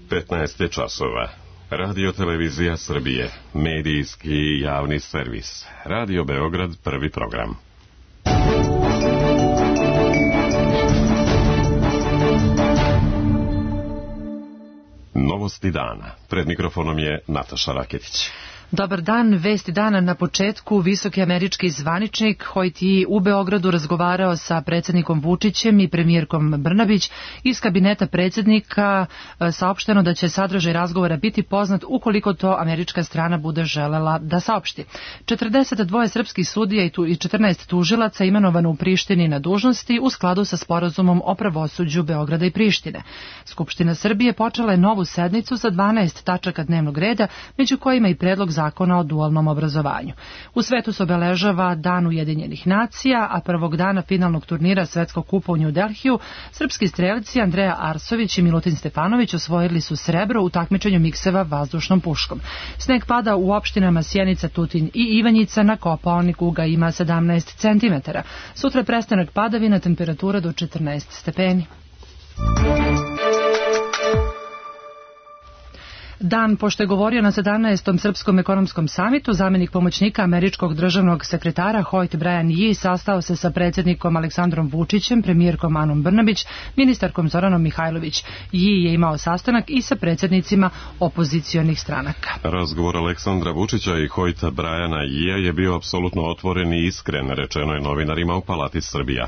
15 časova. Radio Televizija Srbije, medijski javni servis. Radio Beograd, prvi program. Novosti dana. Pred mikrofonom je Nataša Raketić. Dobar dan, vesti dana na početku. Visoki američki zvaničnik Hoyt Yi u Beogradu razgovarao sa predsjednikom Vučićem i premijerkom Brnabić. Iz kabineta predsjednika saopšteno da će sadržaj razgovora biti poznat ukoliko to američka strana bude želela da saopšti. 42 srpskih sudija i 14 tužilaca imenovano u Prištini na dužnosti u skladu sa sporazumom o pravosuđu Beograda i Prištine. Skupština Srbije počela je novu sednicu sa 12 tačaka dnevnog reda, među kojima i predlog zakona o dualnom obrazovanju. U svetu se obeležava Dan Ujedinjenih nacija, a prvog dana finalnog turnira Svetskog kupa u New Delhiju srpski strelci Andreja Arsović i Milutin Stefanović osvojili su srebro u takmičenju mikseva vazdušnom puškom. Sneg pada u opštinama Sjenica, Tutin i Ivanjica, na Kopaoniku ga ima 17 cm. Sutra prestanak padavina, temperatura do 14 stepeni. Dan pošto je govorio na 17. Srpskom ekonomskom samitu, zamjenik pomoćnika američkog državnog sekretara Hoyt Brian Yi sastao se sa predsjednikom Aleksandrom Vučićem, premijerkom Anom Brnabić, ministarkom Zoranom Mihajlović. Yi je imao sastanak i sa predsjednicima opozicionih stranaka. Razgovor Aleksandra Vučića i Hoyta Briana Yija je bio apsolutno otvoren i iskren, rečeno je novinarima u Palati Srbija.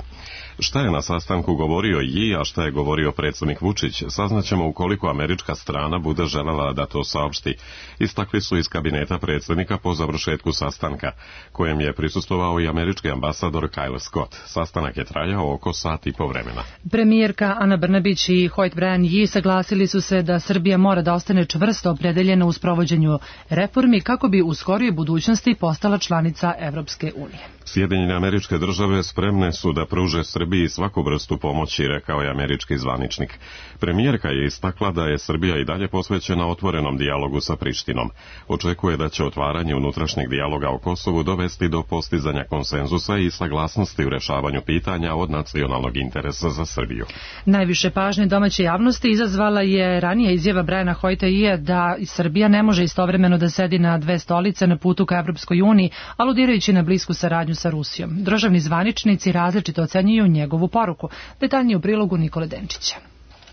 Šta je na sastanku govorio Yi, a šta je govorio predsjednik Vučić, saznaćemo ukoliko američka strana bude želela da to saopšti. Istakli su iz kabineta predsjednika po završetku sastanka, kojem je prisustvovao i američki ambasador Kyle Scott. Sastanak je trajao oko sat i po vremena. Premijerka Ana Brnabić i Hoyt Brian Yi saglasili su se da Srbija mora da ostane čvrsto opredeljena u sprovođenju reformi kako bi u skorijoj budućnosti postala članica Evropske unije. Sjedinjene Američke Države spremne su da pruže Srbiji svaku vrstu pomoći, rekao je američki zvaničnik. Premijerka je istakla da je Srbija i dalje posvećena otvorenom dijalogu sa Prištinom. Očekuje da će otvaranje unutrašnjeg dijaloga o Kosovu dovesti do postizanja konsenzusa i saglasnosti u rešavanju pitanja od nacionalnog interesa za Srbiju. Najviše pažnje domaće javnosti izazvala je ranija izjava Briana Hoyta Yija da Srbija ne može istovremeno da sedi na dve stolice na putu ka Evropskoj uniji, aludirajući na blisku saradnju sa Rusijom. Državni zvaničnici različito ocenjuju njegovu poruku. Detaljnije u prilogu Nikole Denčića.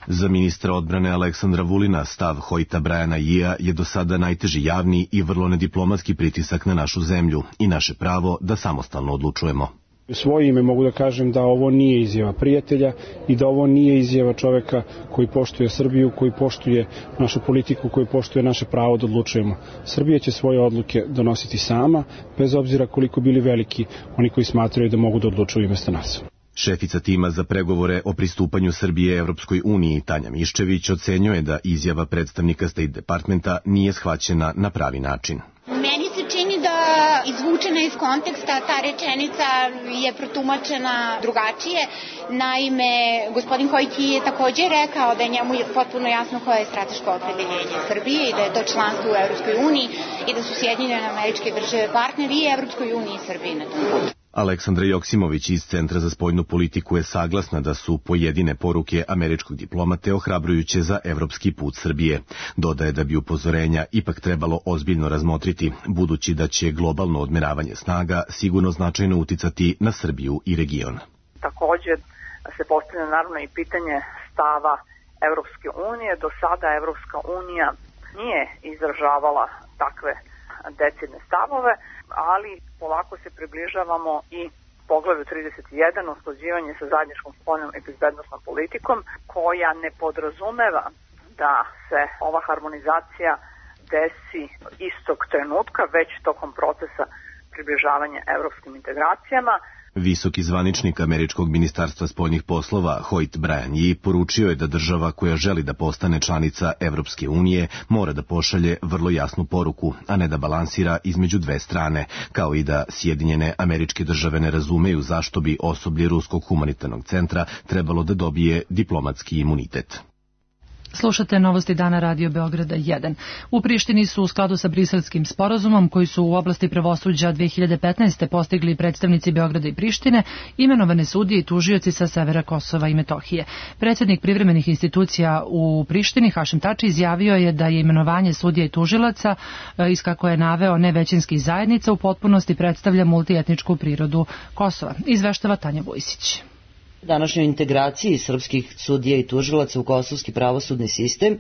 Za ministra odbrane Aleksandra Vulina stav Hoyta Briana Yija je do sada najteži javni i vrlo nediplomatski pritisak na našu zemlju i naše pravo da samostalno odlučujemo. U svoje ime mogu da kažem da ovo nije izjava prijatelja i da ovo nije izjava čoveka koji poštuje Srbiju, koji poštuje našu politiku, koji poštuje naše pravo da odlučujemo. Srbija će svoje odluke donositi sama, bez obzira koliko bili veliki oni koji smatraju da mogu da odlučuju umjesto nas. Šefica tima za pregovore o pristupanju Srbije Evropskoj uniji Tanja Miščević ocenjuje da izjava predstavnika State Departmenta nije shvaćena na pravi način. Meni se čini da izvučena iz konteksta ta rečenica je protumačena drugačije. Naime, gospodin Hoyt Yi je također rekao da je njemu potpuno jasno koje je strateško opredeljenje Srbije i da je to članstvo u Evropskoj uniji i da su Sjedinjene Američke Države partneri i Evropskoj uniji i Srbiji na tom putu. Aleksandra Joksimović iz Centra za spoljnu politiku je saglasna da su pojedine poruke američkog diplomate ohrabrujuće za evropski put Srbije. Dodaje da bi upozorenja ipak trebalo ozbiljno razmotriti, budući da će globalno odmeravanje snaga sigurno značajno uticati na Srbiju i region. Također se postavlja naravno i pitanje stava Evropske unije. Do sada Evropska unija nije izražavala takve decidne stavove, ali polako se približavamo i poglavlju 31, usklađivanje sa zajedničkom spoljnom i bezbednosnom politikom, koja ne podrazumeva da se ova harmonizacija desi istog trenutka, već tokom procesa približavanja evropskim integracijama. Visoki zvaničnik američkog ministarstva spoljnih poslova Hoyt Brian Yi poručio je da država koja želi da postane članica Evropske unije mora da pošalje vrlo jasnu poruku, a ne da balansira između dve strane, kao i da Sjedinjene Američke Države ne razumeju zašto bi osoblje Ruskog humanitarnog centra trebalo da dobije diplomatski imunitet. Slušate novosti dana Radio Beograda 1. U Prištini su u skladu sa Briselskim sporazumom koji su u oblasti pravosuđa 2015. postigli predstavnici Beograda i Prištine, imenovane sudije i tužioci sa severa Kosova i Metohije. Predsjednik privremenih institucija u Prištini, Hašim Tači, izjavio je da je imenovanje sudija i tužilaca, iz kako je naveo nevećinskih zajednica, u potpunosti predstavlja multietničku prirodu Kosova. Izveštava Tanja Vujsić. Današnjoj integraciji srpskih sudija i tužilaca u kosovski pravosudni sistem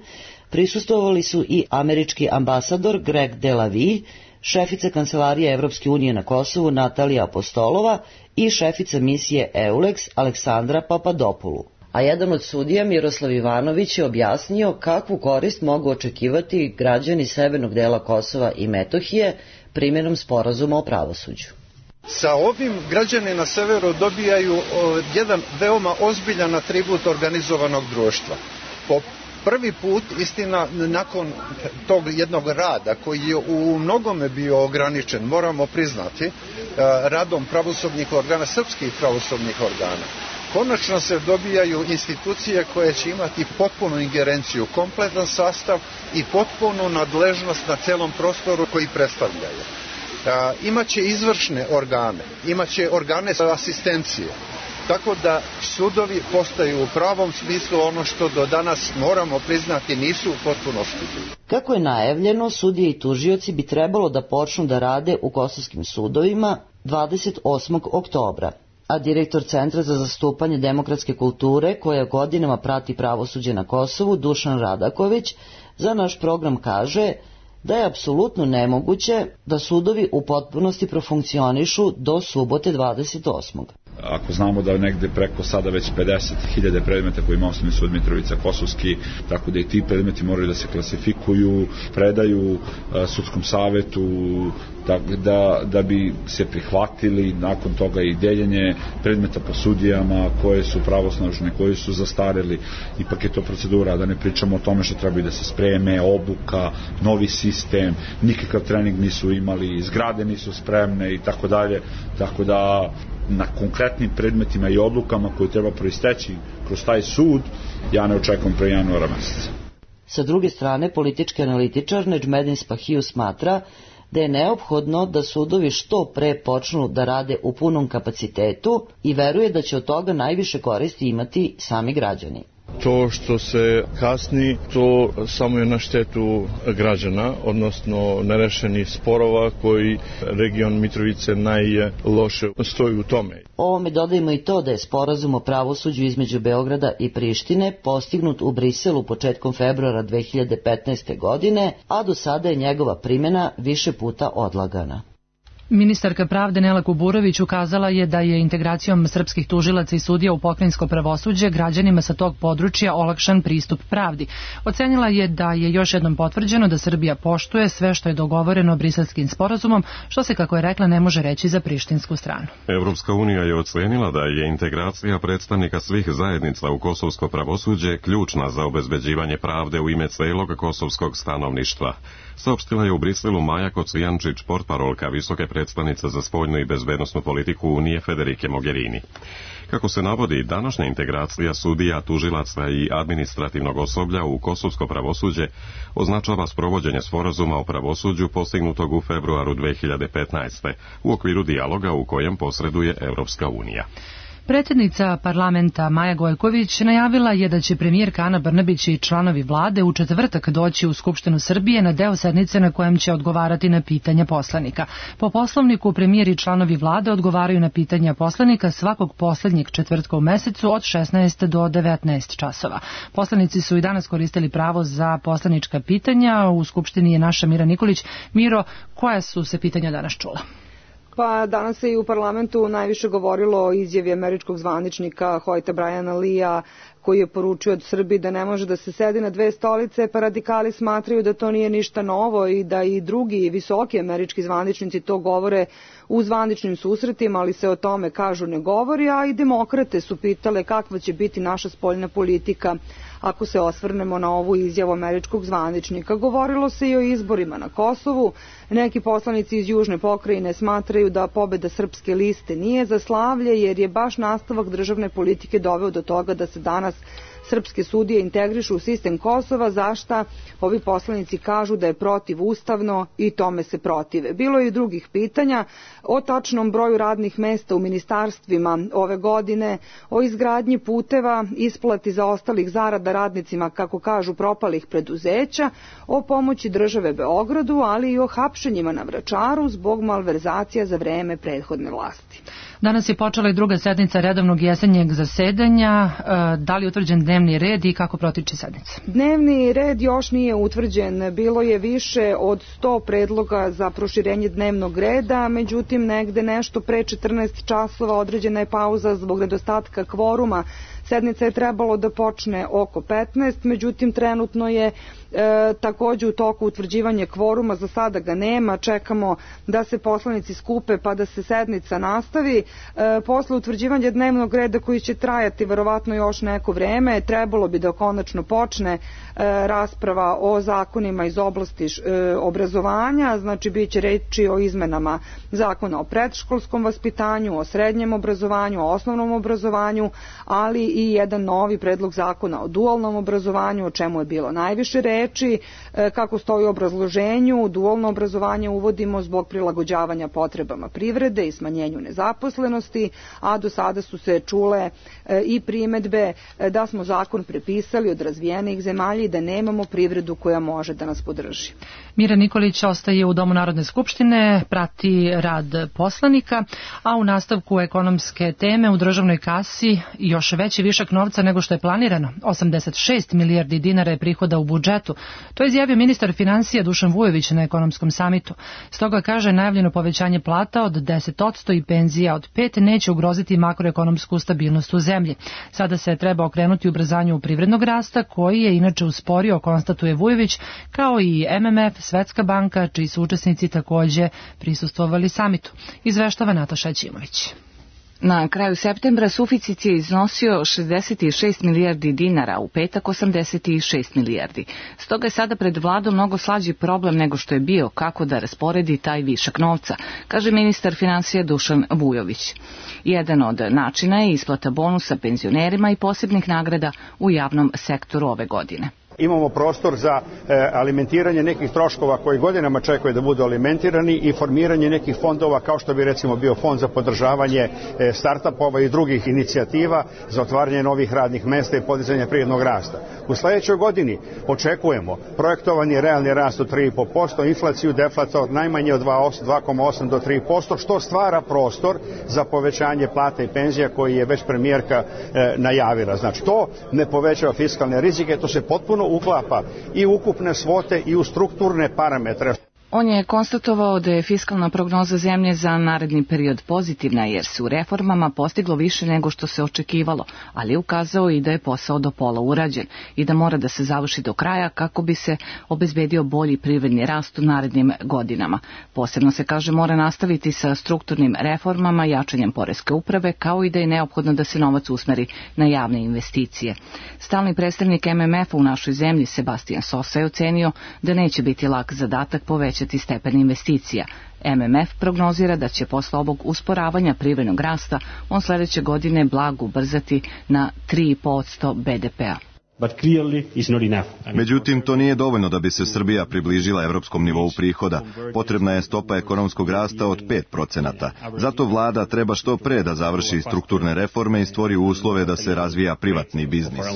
prisustvovali su i američki ambasador Greg Delavi, šefica Kancelarije Evropske unije na Kosovu Natalija Apostolova i šefica misije EULEX Aleksandra Papadopoulou. A jedan od sudija, Miroslav Ivanović, je objasnio kakvu korist mogu očekivati građani severnog dela Kosova i Metohije primjenom sporazuma o pravosuđu. Sa ovim građani na severu dobijaju jedan veoma ozbiljan atribut organizovanog društva. Po prvi put, istina, nakon tog jednog rada koji je u mnogome bio ograničen, moramo priznati, radom pravosudnih organa, srpskih pravosudnih organa, konačno se dobijaju institucije koje će imati potpunu ingerenciju, kompletan sastav i potpunu nadležnost na celom prostoru koji predstavljaju. Imaće izvršne organe, imaće organe asistencije, tako da sudovi postaju u pravom smislu ono što do danas, moramo priznati, nisu u potpunosti. Kako je najavljeno, sudije i tužioci bi trebalo da počnu da rade u kosovskim sudovima 28. oktobra, a direktor Centra za zastupanje demokratske kulture, koja godinama prati pravosuđe na Kosovu, Dušan Radaković, za naš program kaže da je apsolutno nemoguće da sudovi u potpunosti profunkcionišu do subote 28. Ako znamo da je negde preko sada već 50.000 predmeta koji ima Osnovni sud Mitrovica Kosovski, tako da i ti predmeti moraju da se klasifikuju, predaju sudskom savetu, da bi se prihvatili nakon toga i deljenje predmeta po sudijama koje su pravosnažne, koje su zastareli. Ipak je to procedura, da ne pričamo o tome što treba da se spreme, obuka, novi sistem, nikakav trening nisu imali, zgrade nisu spremne i tako dalje, tako da na konkretnim predmetima i odlukama koje treba proisteći kroz taj sud, ja ne očekujem pre januara meseca. Sa druge strane, politički analitičar Nedžmedin Spahiju smatra da je neophodno da sudovi što pre počnu da rade u punom kapacitetu i veruje da će od toga najviše koristi imati sami građani. To što se kasni, to samo je na štetu građana, odnosno nerešenih sporova koji region Mitrovice najloše stoji u tome. Ovome dodajemo i to da je sporazum o pravosuđu između Beograda i Prištine postignut u Briselu početkom februara 2015. godine, a do sada je njegova primjena više puta odlagana. Ministarka pravde Nela Kuburović ukazala je da je integracijom srpskih tužilaca i sudija u pokrajinsko pravosuđe građanima sa tog područja olakšan pristup pravdi. Ocenila je da je još jednom potvrđeno da Srbija poštuje sve što je dogovoreno Briselskim sporazumom, što se, kako je rekla, ne može reći za prištinsku stranu. Evropska unija je ocenila da je integracija predstavnika svih zajednica u kosovsko pravosuđe ključna za obezbeđivanje pravde u ime celog kosovskog stanovništva. Saopštila je u Briselu Maja Kocijančić, portparolka visoke predstavnice za spoljnu i bezbednosnu politiku Unije Federike Mogherini. Kako se navodi, današnja integracija sudija, tužilaca i administrativnog osoblja u kosovsko pravosuđe označava sprovođenje sporazuma o pravosuđu postignutog u februaru 2015. u okviru dijaloga u kojem posreduje Evropska unija. Predsjednica parlamenta Maja Gojković najavila je da će premijerka Ana Brnabić i članovi vlade u četvrtak doći u Skupštinu Srbije na deo sednice na kojem će odgovarati na pitanja poslanika. Po poslovniku, premijer i članovi vlade odgovaraju na pitanja poslanika svakog poslednjeg četvrtka u mesecu od 16 do 19 časova. Poslanici su i danas koristili pravo za poslanička pitanja. U Skupštini je naša Mira Nikolić. Miro, koja su se pitanja danas čula? Pa danas se i u parlamentu najviše govorilo o izjavi američkog zvaničnika Hoyta Briana Leea, koji je poručio od Srbiji da ne može da se sedi na dve stolice, pa radikali smatraju da to nije ništa novo i da i drugi visoki američki zvaničnici to govore u zvaničnim susretima, ali se o tome, kažu, ne govori, a i demokrate su pitale kakva će biti naša spoljna politika ako se osvrnemo na ovu izjavu američkog zvaničnika. Govorilo se i o izborima na Kosovu. Neki poslanici iz Južne pokrajine smatraju da pobeda Srpske liste nije za slavlje, jer je baš nastavak državne politike doveo do toga da se danas srpske sudije integrišu u sistem Kosova, za šta ovi poslanici kažu da je protivustavno i tome se protive. Bilo je i drugih pitanja o tačnom broju radnih mesta u ministarstvima ove godine, o izgradnji puteva, isplati zaostalih zarada radnicima, kako kažu, propalih preduzeća, o pomoći države Beogradu, ali i o hapšenjima na Vračaru zbog malverzacija za vreme prethodne vlasti. Danas je počela i druga sednica redovnog jesenjeg zasedanja. Da li je utvrđen dnevni red i kako protiče sednica? Dnevni red još nije utvrđen. Bilo je više od 100 predloga za proširenje dnevnog reda, međutim negde nešto pre 14 časova određena je pauza zbog nedostatka kvoruma. Sednica je trebalo da počne oko 15, međutim trenutno je takođe u toku utvrđivanje kvoruma, za sada ga nema, čekamo da se poslanici skupe pa da se sednica nastavi. Posle utvrđivanja dnevnog reda koji će trajati verovatno još neko vreme, trebalo bi da konačno počne rasprava o zakonima iz oblasti obrazovanja, znači bit će reči o izmenama zakona o predškolskom vaspitanju, o srednjem obrazovanju, o osnovnom obrazovanju, ali i jedan novi predlog zakona o dualnom obrazovanju, o čemu je bilo najviše reči. Kako stoji u obrazloženju, dualno obrazovanje uvodimo zbog prilagođavanja potrebama privrede i smanjenju nezaposlenosti, a do sada su se čule i primedbe da smo zakon prepisali od razvijenih zemalja i da nemamo privredu koja može da nas podrži. Mira Nikolić ostaje u Domu Narodne skupštine, prati rad poslanika, a u nastavku ekonomske teme u državnoj kasi još veći višak novca nego što je planirano. 86 milijardi dinara je prihoda u budžetu. To je izjavio ministar finansija Dušan Vujović na ekonomskom samitu. Stoga kaže, najavljeno povećanje plata od 10% i penzija od 5% neće ugroziti makroekonomsku stabilnost u zemlji. Sada se treba okrenuti ubrzanju privrednog rasta, koji je inače usporio, konstatuje Vujović, kao i MMF, Svetska banka, čiji su učesnici takođe prisustvovali samitu. Izveštava Nataša Ćimović. Na kraju septembra suficit je iznosio 66 milijardi dinara, u petak 86 milijardi. Stoga je sada pred vladom mnogo slađi problem nego što je bio kako da rasporedi taj višak novca, kaže ministar finansija Dušan Vujović. Jedan od načina je isplata bonusa penzionerima i posebnih nagrada u javnom sektoru ove godine. Imamo prostor za alimentiranje nekih troškova koji godinama čekaju da budu alimentirani i formiranje nekih fondova kao što bi recimo bio fond za podržavanje startupova i drugih inicijativa za otvaranje novih radnih mesta i podizanje privrednog rasta. U sledećoj godini očekujemo projektovani realni rast od 3,5%, inflaciju deflata od najmanje od 2,8 do 3%, što stvara prostor za povećanje plata i penzija koji je već premijerka najavila. Znači, to ne povećava fiskalne rizike, to se potpuno uklapa i ukupne svote i u strukturne parametre. On je konstatovao da je fiskalna prognoza zemlje za naredni period pozitivna jer se u reformama postiglo više nego što se očekivalo, ali je ukazao i da je posao do pola urađen i da mora da se završi do kraja kako bi se obezbedio bolji privredni rast u narednim godinama. Posebno se kaže mora nastaviti sa strukturnim reformama, jačanjem poreske uprave, kao i da je neophodno da se novac usmeri na javne investicije. Stalni predstavnik MMF-a u našoj zemlji Sebastian Sosa je ocenio da neće biti lak zadatak povećati stepen investicija. MMF prognozira da će posle ovog usporavanja privrednog rasta on sledeće godine blago ubrzati na 3% BDP-a. Međutim, to nije dovoljno da bi se Srbija približila evropskom nivou prihoda. Potrebna je stopa ekonomskog rasta od 5%. Zato vlada treba što pre da završi strukturne reforme i stvori uslove da se razvija privatni biznis.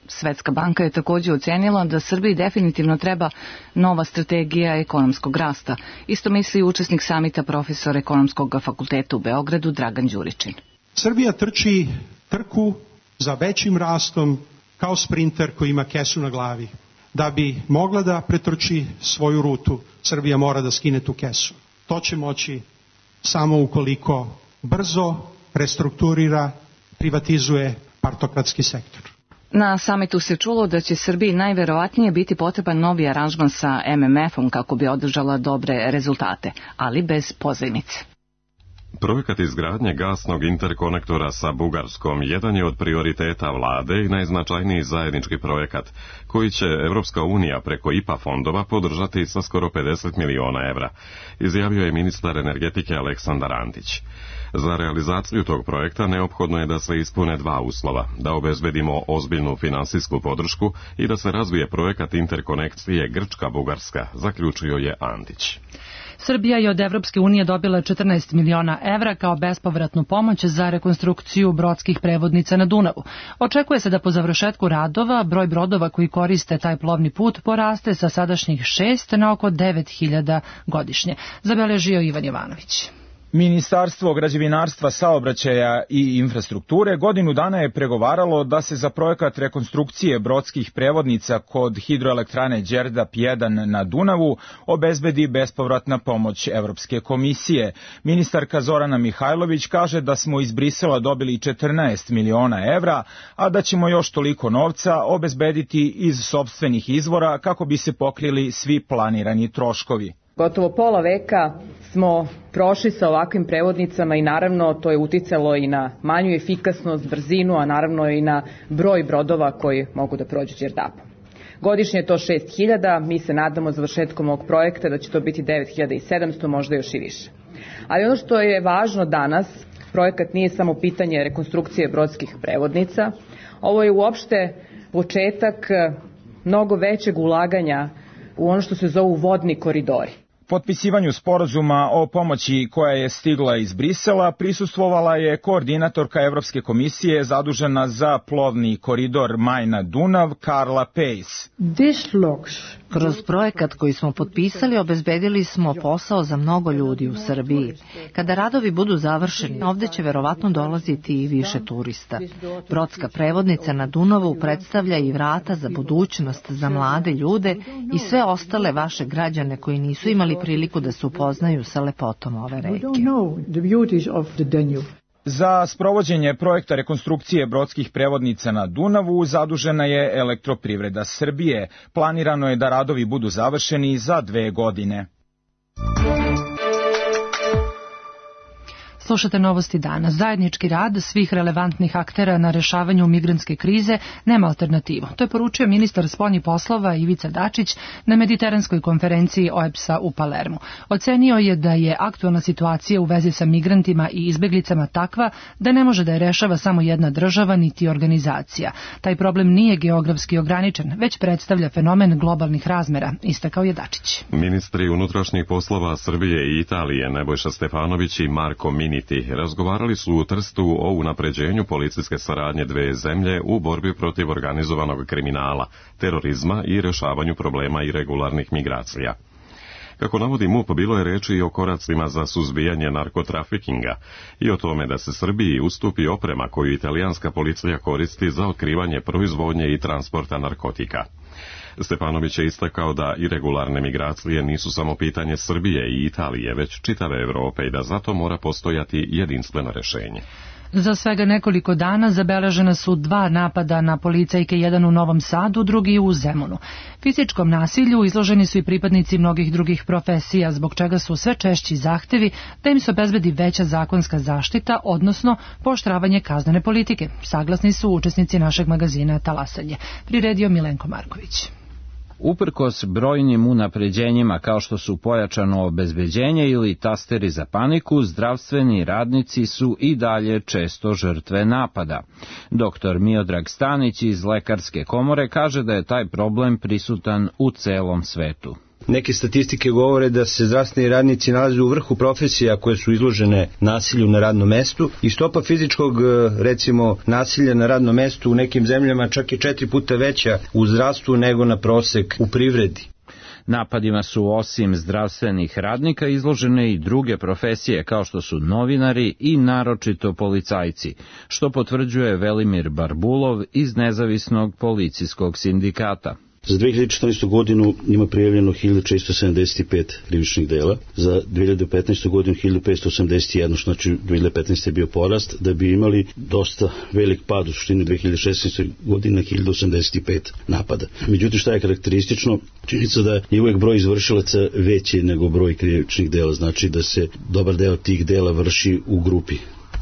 Svetska banka je takođe ocenila da Srbiji definitivno treba nova strategija ekonomskog rasta. Isto misli učesnik samita profesor ekonomskog fakulteta u Beogradu Dragan Đuričin. Srbija trči trku za većim rastom kao sprinter koji ima kesu na glavi. Da bi mogla da pretrči svoju rutu, Srbija mora da skine tu kesu. To će moći samo ukoliko brzo restrukturira, privatizuje partokratski sektor. Na samitu se čulo da će Srbiji najverovatnije biti potreban novi aranžman sa MMF-om kako bi održala dobre rezultate, ali bez pozajmice. Projekat izgradnje gasnog interkonektora sa Bugarskom jedan je od prioriteta vlade i najznačajniji zajednički projekat, koji će Evropska unija preko IPA fondova podržati sa skoro 50 miliona evra, izjavio je ministar energetike Aleksandar Antić. Za realizaciju tog projekta neophodno je da se ispune dva uslova, da obezbedimo ozbiljnu finansijsku podršku i da se razvije projekat interkonekcije Grčka-Bugarska, zaključio je Antić. Srbija je od Evropske unije dobila 14 miliona evra kao bespovratnu pomoć za rekonstrukciju brodskih prevodnica na Dunavu. Očekuje se da po završetku radova broj brodova koji koriste taj plovni put poraste sa sadašnjih 6 na oko 9.000 godišnje, zabeležio Ivan Jovanović. Ministarstvo građevinarstva, saobraćaja i infrastrukture godinu dana je pregovaralo da se za projekat rekonstrukcije brodskih prevodnica kod hidroelektrane Đerdap 1 na Dunavu obezbedi bespovratna pomoć Evropske komisije. Ministarka Zorana Mihajlović kaže da smo iz Brisela dobili 14 miliona evra, a da ćemo još toliko novca obezbediti iz sopstvenih izvora kako bi se pokrili svi planirani troškovi. Gotovo pola veka smo prošli sa ovakvim prevodnicama i naravno to je uticalo i na manju efikasnost, brzinu, a naravno i na broj brodova koji mogu da prođu Đerdapom. Godišnje je to 6.000, mi se nadamo završetkom ovog projekta da će to biti 9.700, možda još i više. Ali ono što je važno danas, projekat nije samo pitanje rekonstrukcije brodskih prevodnica, ovo je uopšte početak mnogo većeg ulaganja u ono što se zovu vodni koridori. Potpisivanju sporazuma o pomoći koja je stigla iz Brisela prisustvovala je koordinatorka Evropske komisije zadužena za plovni koridor Majna-Dunav Karla Pejs. Kroz projekat koji smo potpisali obezbedili smo posao za mnogo ljudi u Srbiji. Kada radovi budu završeni, ovde će verovatno dolaziti i više turista. Brodska prevodnica na Dunavu predstavlja i vrata za budućnost za mlade ljude i sve ostale vaše građane koji nisu imali priliku da se upoznaju sa lepotom ove reke. Za sprovođenje projekta rekonstrukcije brodskih prevodnica na Dunavu zadužena je Elektroprivreda Srbije. Planirano je da radovi budu završeni za 2 godine. Slušate novosti dana. Zajednički rad svih relevantnih aktera na rešavanju migrantske krize nema alternativu. To je poručio ministar spoljnih poslova Ivica Dačić na mediteranskoj konferenciji OEBS-a u Palermu. Ocenio je da je aktualna situacija u vezi sa migrantima i izbeglicama takva da ne može da je rešava samo jedna država niti organizacija. Taj problem nije geografski ograničen, već predstavlja fenomen globalnih razmera, istakao je Dačić. Ministri unutrašnjih poslova Srbije i Italije Nebojša Stefanović i Marko Miniti razgovarali su u Trstu o unapređenju policijske saradnje dve zemlje u borbi protiv organizovanog kriminala, terorizma i rešavanju problema irregularnih migracija. Kako navodi MUP, bilo je reči i o koracima za suzbijanje narkotrafikinga i o tome da se Srbiji ustupi oprema koju italijanska policija koristi za otkrivanje proizvodnje i transporta narkotika. Stefanović je istakao da irregularne migracije nisu samo pitanje Srbije i Italije, već čitave Evrope i da zato mora postojati jedinstveno rešenje. Za svega nekoliko dana zabeležena su 2 napada na policajke, jedan u Novom Sadu, drugi u Zemunu. Fizičkom nasilju izloženi su i pripadnici mnogih drugih profesija, zbog čega su sve češći zahtevi da im se obezbedi veća zakonska zaštita, odnosno pooštravanje kaznene politike. Saglasni su učesnici našeg magazina Talasanje. Priredio Milenko Marković. Uprkos brojnim unapređenjima kao što su pojačano obezbeđenje ili tasteri za paniku, zdravstveni radnici su i dalje često žrtve napada. Dr. Miodrag Stanić iz Lekarske komore kaže da je taj problem prisutan u celom svetu. Neke statistike govore da se zdravstveni radnici nalaze u vrhu profesija koje su izložene nasilju na radnom mestu i stopa fizičkog, recimo, nasilja na radnom mestu u nekim zemljama čak je 4 puta veća u zdravstvu nego na prosek u privredi. Napadima su osim zdravstvenih radnika izložene i druge profesije kao što su novinari i naročito policajci, što potvrđuje Velimir Barbulov iz Nezavisnog policijskog sindikata. Za 2014. godinu ima prijavljeno 1475 krivičnih dela, za 2015. godinu 1581, što znači 2015. je bio porast, da bi imali dosta velik pad u suštini 2016. godine 1085 napada. Međutim, šta je karakteristično? Činjenica da je uvek broj izvršilaca veći nego broj krivičnih dela, znači da se dobar deo tih dela vrši u grupi.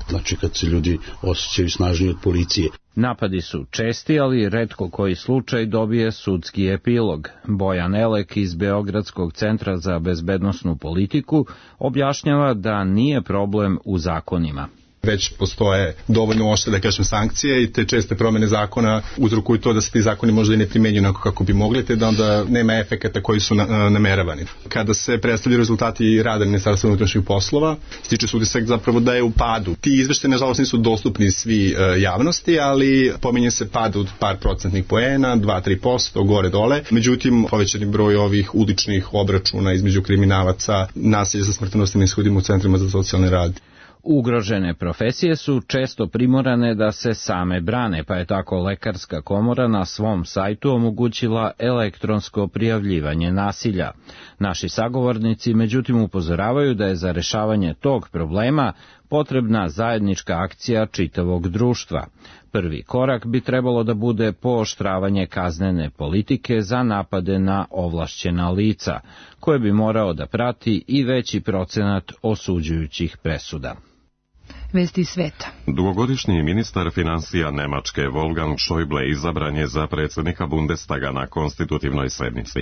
Znači kad se ljudi osjećaju snažniji od policije. Napadi su česti, ali retko koji slučaj dobije sudski epilog. Bojan Elek iz Beogradskog centra za bezbednosnu politiku objašnjava da nije problem u zakonima. Već postoje dovoljno oštre, da kažem, sankcije i te česte promene zakona uzrokuju to da se ti zakoni možda i ne primenjuju onako kako bi mogli, te da onda nema efekata koji su nameravani. Kada se predstavljaju rezultati rada Ministarstva unutrašnjih poslova, stiče se utisak zapravo da je u padu. Ti izveštaji nažalost nisu dostupni svi javnosti, ali pominje se pad od par procentnih poena, 2-3%, gore dole. Međutim, povećani broj ovih uličnih obračuna između kriminalaca, nasilja sa smrtonosnim ishodima u centrima za socijalni rad. Ugrožene profesije su često primorane da se same brane, pa je tako Lekarska komora na svom sajtu omogućila elektronsko prijavljivanje nasilja. Naši sagovornici međutim upozoravaju da je za rešavanje tog problema potrebna zajednička akcija čitavog društva. Prvi korak bi trebalo da bude pooštravanje kaznene politike za napade na ovlašćena lica, koje bi morao da prati i veći procenat osuđujućih presuda. Vesti sveta. Dugogodišnji ministar finansija Nemačke Wolfgang Schäuble izabran je za predsjednika Bundestaga na konstitutivnoj sednici.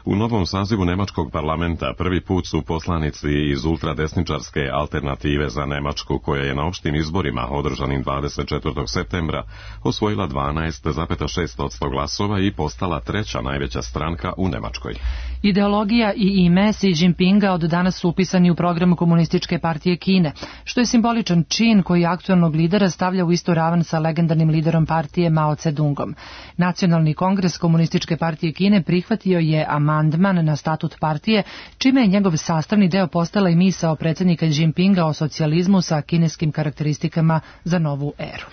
U novom sazivu nemačkog parlamenta prvi put su poslanici iz ultradesničarske alternative za Nemačku, koja je na opštim izborima održanim 24. septembra osvojila 12,6% glasova i postala treća najveća stranka u Nemačkoj. Ideologija i ime Xi Jinpinga od danas su upisani u program Komunističke partije Kine, što je simboličan čin koji aktuelnog lidera stavlja u istu ravan sa legendarnim liderom partije Mao Tse-dungom. Nacionalni kongres Komunističke partije Kine prihvatio je amandman na statut partije, čime je njegov sastavni deo postala i misao predsjednika Jinpinga o socijalizmu sa kineskim karakteristikama za novu eru.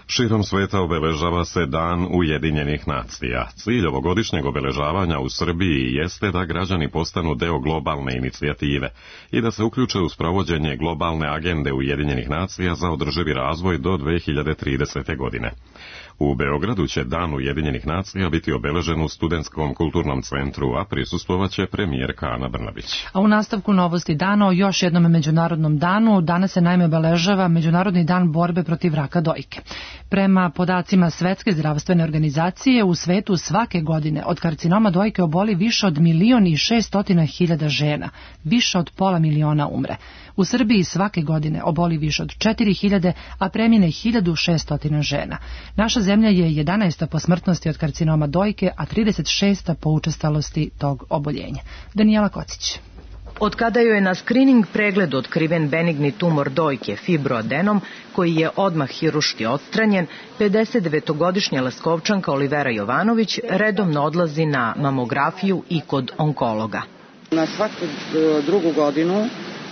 Širom sveta obeležava se Dan Ujedinjenih nacija. Cilj ovogodišnjeg obeležavanja u Srbiji jeste da građani postanu deo globalne inicijative i da se uključe u sprovođenje globalne agende Ujedinjenih nacija za održivi razvoj do 2030. godine. U Beogradu će Dan Ujedinjenih nacija biti obeležen u Studentskom kulturnom centru, a prisustvovaće premijerka Ana Brnabić. A u nastavku novosti dana o još jednom međunarodnom danu, danas se naime obeležava Međunarodni dan borbe protiv raka dojke. Prema podacima Svetske zdravstvene organizacije, u svetu svake godine od karcinoma dojke oboli više od 1.600.000 žena, više od 500.000 umre. U Srbiji svake godine oboli više od 4.000, a premine 1.600 žena. Naša zemlja je 11. po smrtnosti od karcinoma dojke, a 36. po učestalosti tog oboljenja. Danijela Kocić. Od kada joj je na skrining pregledu otkriven benigni tumor dojke, fibroadenom, koji je odmah hiruški odstranjen, 59-godišnja Leskovčanka Olivera Jovanović redovno odlazi na mamografiju i kod onkologa. Na svaku drugu godinu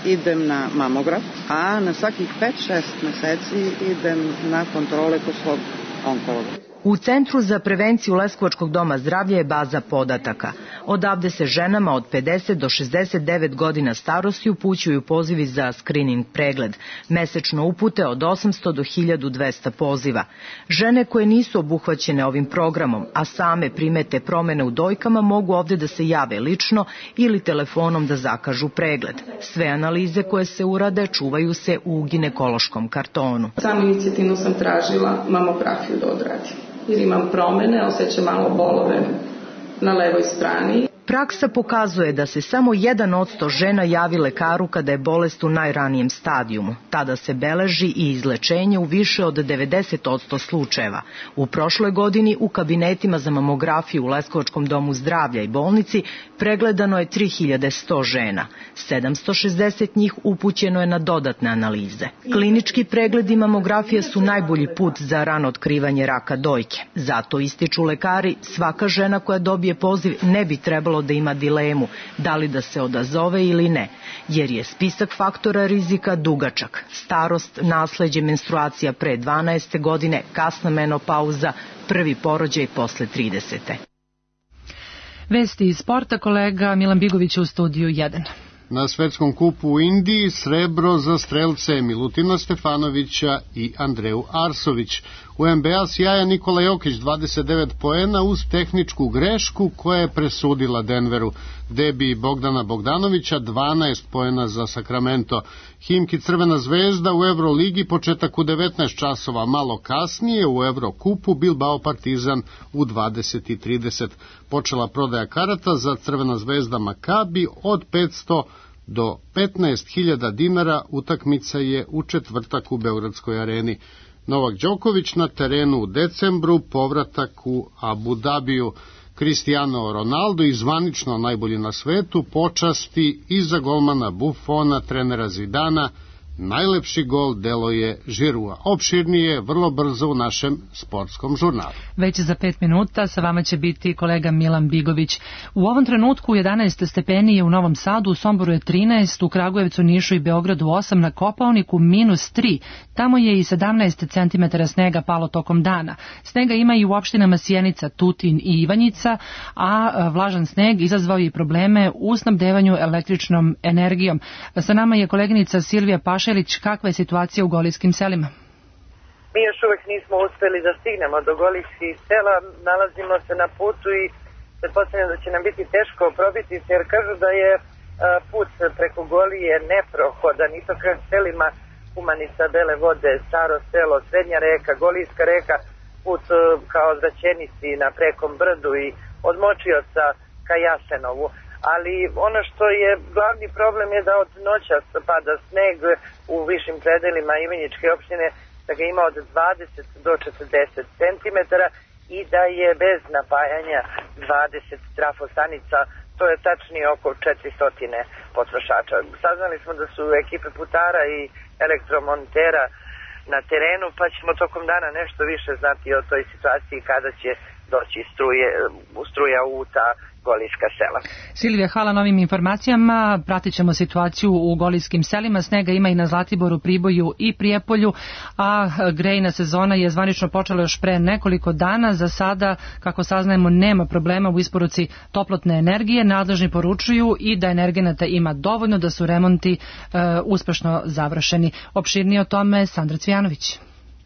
idem na mamograf, a na svakih 5-6 meseci idem na kontrole kod svog onkologa. U Centru za prevenciju Leskovačkog doma zdravlja je baza podataka. Odavde se ženama od 50 do 69 godina starosti upućuju pozivi za skrining pregled. Mesečno upute od 800 do 1200 poziva. Žene koje nisu obuhvaćene ovim programom, a same primete promene u dojkama, mogu ovde da se jave lično ili telefonom da zakažu pregled. Sve analize koje se urade čuvaju se u ginekološkom kartonu. Samo inicijativno sam tražila mamografiju da odradim, jer imam promene, osjećam malo bolove na levoj strani. Praksa pokazuje da se samo 1% žena javi lekaru kada je bolest u najranijem stadijumu. Tada se beleži i izlečenje u više od 90% slučajeva. U prošloj godini u kabinetima za mamografiju u Leskovačkom domu zdravlja i bolnici pregledano je 3100 žena. 760 njih upućeno je na dodatne analize. Klinički pregledi mamografije su najbolji put za rano otkrivanje raka dojke. Zato ističu lekari, svaka žena koja dobije poziv ne bi trebalo da ima dilemu da li da se odazove ili ne, jer je spisak faktora rizika dugačak. Starost, nasleđe, menstruacija pre 12. godine, kasna menopauza, prvi porođaj posle 30. Vesti iz sporta, kolega Milan Bigović u studiju 1. Na svetskom kupu u Indiji srebro za strelce Milutina Stefanovića i Andreju Arsović. U NBA sjaja Nikola Jokić 29 poena uz tehničku grešku koja je presudila Denveru. Debi Bogdana Bogdanovića 12 poena za Sacramento. Himki Crvena zvezda u Euroligi početak u 19 časova, malo kasnije u Evrokupu Bilbao Partizan u 20:30. Počela prodaja karata za Crvena zvezda Makabi od 500 do 15.000 dinara. Utakmica je u četvrtak u Beogradskoj areni. Novak Đoković na terenu u decembru, povratak u Abu Dabiju. Cristiano Ronaldo i zvanično najbolji na svetu, počasti iza golmana Buffona, trenera Zidana. Najlepši gol delo je Žirua. Opširnije vrlo brzo u našem sportskom žurnalu. Već za 5 minuta sa vama će biti kolega Milan Bigović. U ovom trenutku 11 stepeni je u Novom Sadu, u Somboru je 13, u Kragujevcu, Nišu i Beogradu 8, na Kopaoniku -3. Tamo je i 17 cm snega palo tokom dana. Snega ima i u opštinama Sjenica, Tutin i Ivanjica, a vlažan sneg izazvao i probleme u snabdevanju električnom energijom. Sa nama je koleginica Silvija Pašelić. Kakva je situacija u golijskim selima? Mi još uvek nismo uspeli da stignemo do golijskih sela, nalazimo se na putu i pretpostavljam da će nam biti teško probiti se, jer kažu da je put preko Golije neprohodan i to kroz selima Kumanica, Bele Vode, Staro selo, Srednja reka, Golijska reka, put kao Zraćenici na Prekom brdu i od Močioca ka Jasenovu. Ali ono što je glavni problem je da od noćas pada sneg u višim predelima Ivanjičke opštine, da ga ima od 20 do 40 cm i da je bez napajanja 20 trafostanica, to je tačnije oko 400 potrošača. Saznali smo da su ekipe putara i elektromontera na terenu, pa ćemo tokom dana nešto više znati o toj situaciji kada će doći struja u ta golijska sela. Silvija, hvala na ovim informacijama. Pratit ćemo situaciju u golijskim selima. Snega ima i na Zlatiboru, Priboju i Prijepolju, a grejna sezona je zvanično počela još pre nekoliko dana. Za sada, kako saznajemo, nema problema u isporuci toplotne energije. Nadležni poručuju i da energenata ima dovoljno, da su remonti uspešno završeni. Opširnije o tome Sandra Cvijanović.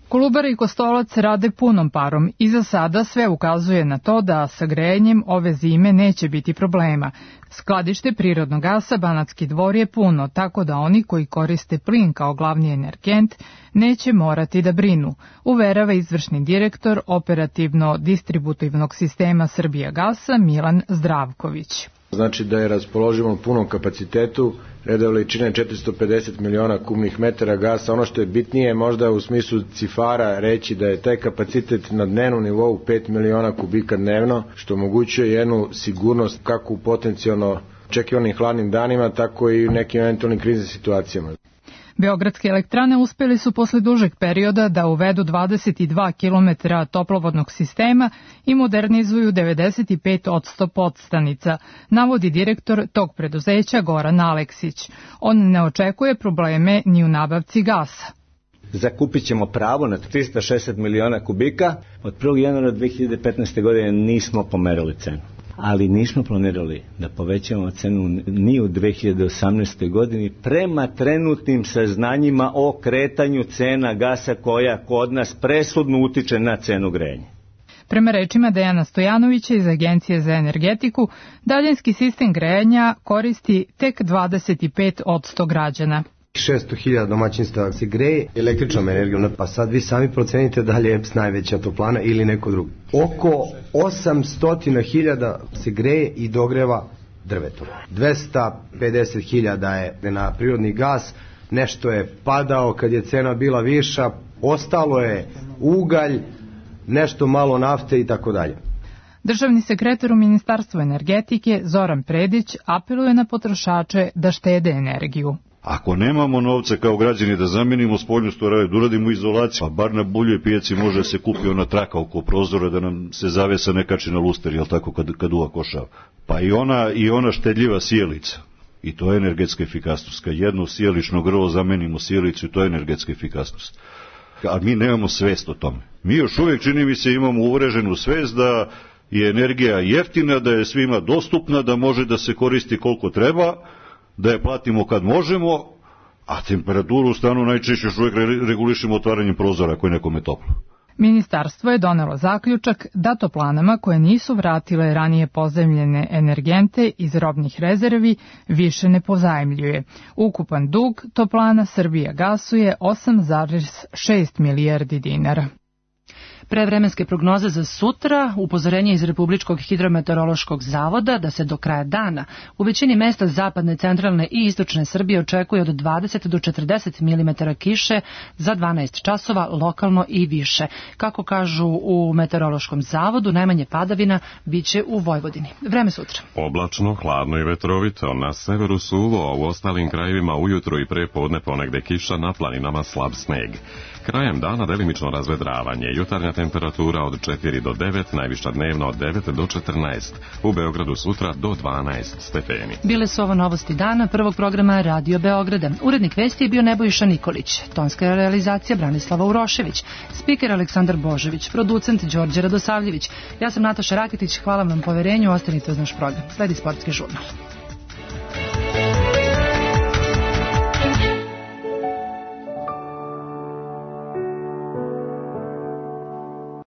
Kolubara i Kostolac rade punom parom i za sada sve ukazuje na to da sa grejanjem ove zime neće biti problema. Skladište prirodnog gasa Banatski Dvor je puno, tako da oni koji koriste plin kao glavni energent neće morati da brinu, uverava izvršni direktor operativno-distributivnog sistema Srbijagasa Milan Zdravković. Znači da je raspoloživo u punom kapacitetu, reda veličine 450 miliona kubnih metara gasa. Ono što je bitnije možda u smislu cifara reći da je taj kapacitet na dnevnom nivou 5 miliona kubika dnevno, što omogućuje jednu sigurnost kako u potencijalno očekivanim hladnim danima, tako i u nekim eventualnim kriznim situacijama. Beogradske elektrane uspeli su posle dužeg perioda da uvedu 22 km toplovodnog sistema i modernizuju 95% podstanica, navodi direktor tog preduzeća Goran Aleksić. On ne očekuje probleme ni u nabavci gasa. Zakupit ćemo pravo na 360 miliona kubika. Od 1. januara 2015. godine nismo pomerali cenu. Ali nismo planirali da povećamo cenu ni u 2018. godini prema trenutnim saznanjima o kretanju cena gasa koja kod nas presudno utiče na cenu grejanja. Prema rečima Dejana Stojanovića iz Agencije za energetiku, daljinski sistem grejanja koristi tek 25% građana. 600.000 domaćinstva se greje električnom energijom, pa sad vi sami procenite da li je EPS najveća toplana ili neko drugo. Oko 800.000 se greje i dogreva drvetom. 250.000 je na prirodni gas, nešto je padao kad je cena bila viša, ostalo je ugalj, nešto malo nafte i tako dalje. Državni sekretar u Ministarstvu energetike Zoran Predić apeluje na potrošače da štede energiju. Ako nemamo novca kao građani da zamenimo spoljnu storaju, da uradimo izolaciju, pa bar na buljoj pijaci može da se kupi ona traka oko prozora da nam se zavesa ne kači na luster, jel tako, kad uva košava. Pa i ona štedljiva sijalica. I to je energetska efikasnost. Kad jedno sijalično grlo zamenimo sijalicu, to je energetska efikasnost. A mi nemamo svest o tome. Mi još uvijek, čini mi se, imamo uvreženu svest da je energija jeftina, da je svima dostupna, da može da se koristi koliko treba, da je platimo kad možemo, a temperaturu u stanu najčešće još uvijek regulišemo otvaranjem prozora ako je nekome toplo. Ministarstvo je donelo zaključak da toplanama koje nisu vratile ranije pozajmljene energente iz robnih rezervi više ne pozajmljuje. Ukupan dug toplana Srbijagasu je 8,6 milijardi dinara. Prevremenske prognoze za sutra, upozorenje iz Republičkog hidrometeorološkog zavoda da se do kraja dana u većini mesta zapadne, centralne i istočne Srbije očekuje od 20 do 40 mm kiše za 12 časova, lokalno i više. Kako kažu u meteorološkom zavodu, najmanje padavina biće u Vojvodini. Vreme sutra. Oblačno, hladno i vetrovito, na severu suvo, a u ostalim krajevima ujutro i prepodne ponegde kiša, na planinama slab sneg. Krajem dana delimično razvedravanje, jutarnja temperatura od 4 do 9, najviša dnevna od 9 do 14, u Beogradu sutra do 12 stepeni. Bile su ovo novosti dana prvog programa Radio Beograda. Urednik vesti je bio Nebojša Nikolić, tonska realizacija Branislava Urošević, spiker Aleksandar Božević, producent Đorđe Radosavljević. Ja sam Nataša Raketić, hvala vam na poverenju, ostanite uz naš program. Sledi sportski žurnal.